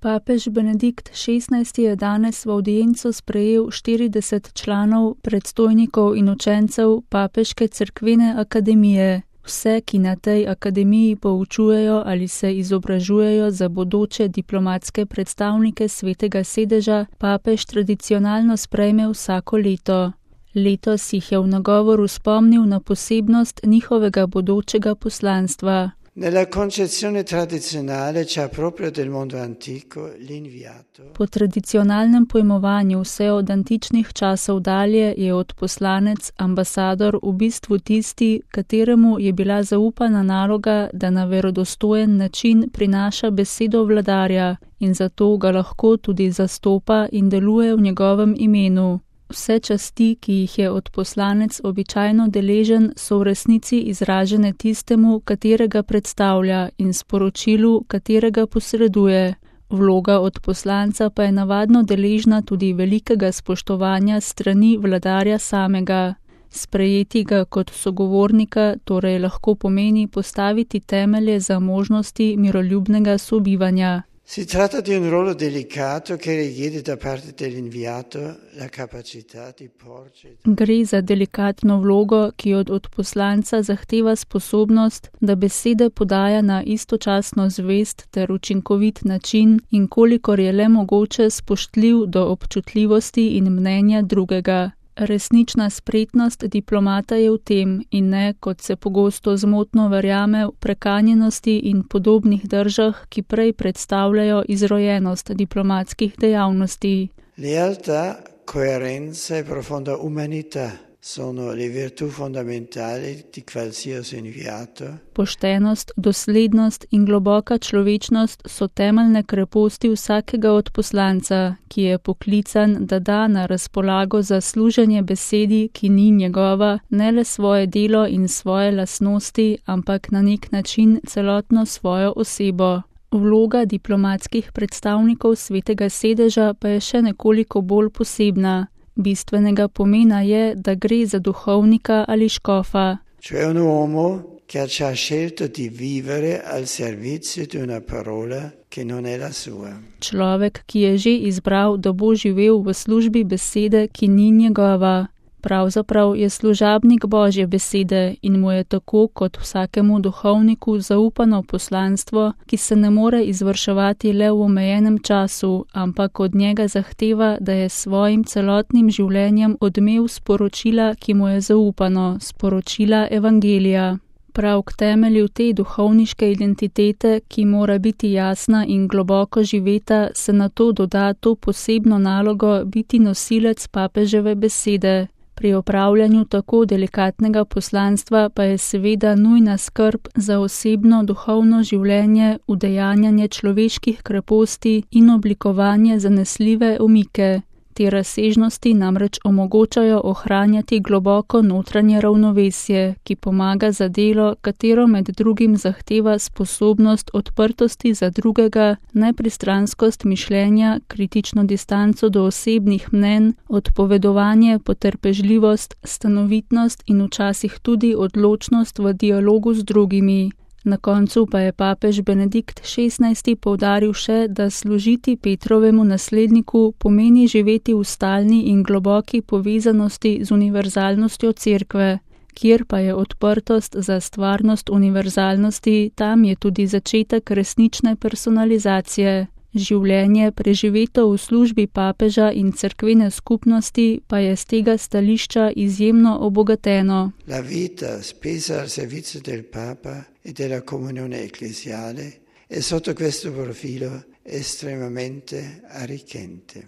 Papež Benedikt XVI je danes v avdienco sprejel 40 članov, predstojnikov in učencev Papeške cerkvene akademije. Vse, ki na tej akademiji poučujejo ali se izobražujejo za bodoče diplomatske predstavnike Svetega sedeža, papež tradicionalno sprejme vsako leto. Letos jih je v nagovoru spomnil na posebnost njihovega bodočega poslanstva. Nella concezione tradizionale c'è proprio del mondo antico l'inviato. Po tradicionalnem pojmovanju vse od antičnih časov dalje je odposlanec, ambasador v bistvu tisti, kateremu je bila zaupana naloga, da na verodostojen način prinaša besedo vladarja in zato ga lahko tudi zastopa in deluje v njegovem imenu. Vse časti, ki jih je odposlanec običajno deležen, so v resnici izražene tistemu, katerega predstavlja, in sporočilu, katerega posreduje. Vloga odposlanca pa je navadno deležna tudi velikega spoštovanja strani vladarja samega. Sprejeti ga kot sogovornika torej lahko pomeni postaviti temelje za možnosti miroljubnega sobivanja. Si tratta di un ruolo delicato che richiede da parte dell'inviato la capacità di porci. Gre za delikatno vlogo, ki od odposlanca zahteva sposobnost, da besede podaja na istočasno zvest ter učinkovit način in kolikor je le mogoče spoštljiv do občutljivosti in mnenja drugega. Resnična spretnost diplomata je v tem in ne, kot se pogosto zmotno verjame, v prekanjenosti in podobnih držah, ki prej predstavljajo izrojenost diplomatskih dejavnosti. Lealtà, coerenza e profonda umanità sono le virtù fondamentali di qualsiasi inviato. Poštenost, doslednost in globoka človečnost so temeljne kreposti vsakega odposlanca, ki je poklican, da da na razpolago za služenje besedi, ki ni njegova, ne le svoje delo in svoje lastnosti, ampak na nek način celotno svojo osebo. Vloga diplomatskih predstavnikov Svetega sedeža pa je še nekoliko bolj posebna. Bistvenega pomena je, da gre za duhovnika ali škofa. Cioè un uomo che ha scelto di vivere al servizio di una parola che non è la sua. Človek, ki je že izbral, da bo živel v službi besede, ki ni njegova. Pravzaprav je služabnik Božje besede in mu je tako kot vsakemu duhovniku zaupano poslanstvo, ki se ne more izvrševati le v omejenem času, ampak od njega zahteva, da je svojim celotnim življenjem odmev sporočila, ki mu je zaupano, sporočila evangelija. Prav k temelju te duhovniške identitete, ki mora biti jasna in globoko živeta, se nato doda to posebno nalogo biti nosilec papeževe besede. Pri opravljanju tako delikatnega poslanstva pa je seveda nujna skrb za osebno duhovno življenje, udejanjanje človeških kreposti in oblikovanje zanesljive omike. Te razsežnosti namreč omogočajo ohranjati globoko notranje ravnovesje, ki pomaga za delo, katero med drugim zahteva sposobnost odprtosti za drugega, nepristranskost mišljenja, kritično distanco do osebnih mnenj, odpovedovanje, potrpežljivost, stanovitnost in včasih tudi odločnost v dialogu z drugimi. Na koncu pa je papež Benedikt XVI poudaril še, da služiti Petrovemu nasledniku pomeni živeti v stalni in globoki povezanosti z univerzalnostjo cerkve. Kjer pa je odprtost za stvarnost univerzalnosti, tam je tudi začetek resnične personalizacije. Življenje, preživeto v službi papeža in cerkvene skupnosti, pa je z tega stališča izjemno obogateno. La vita spesa al servizio del Papa e della comunione ecclesiale è sotto questo profilo estremamente arricchente.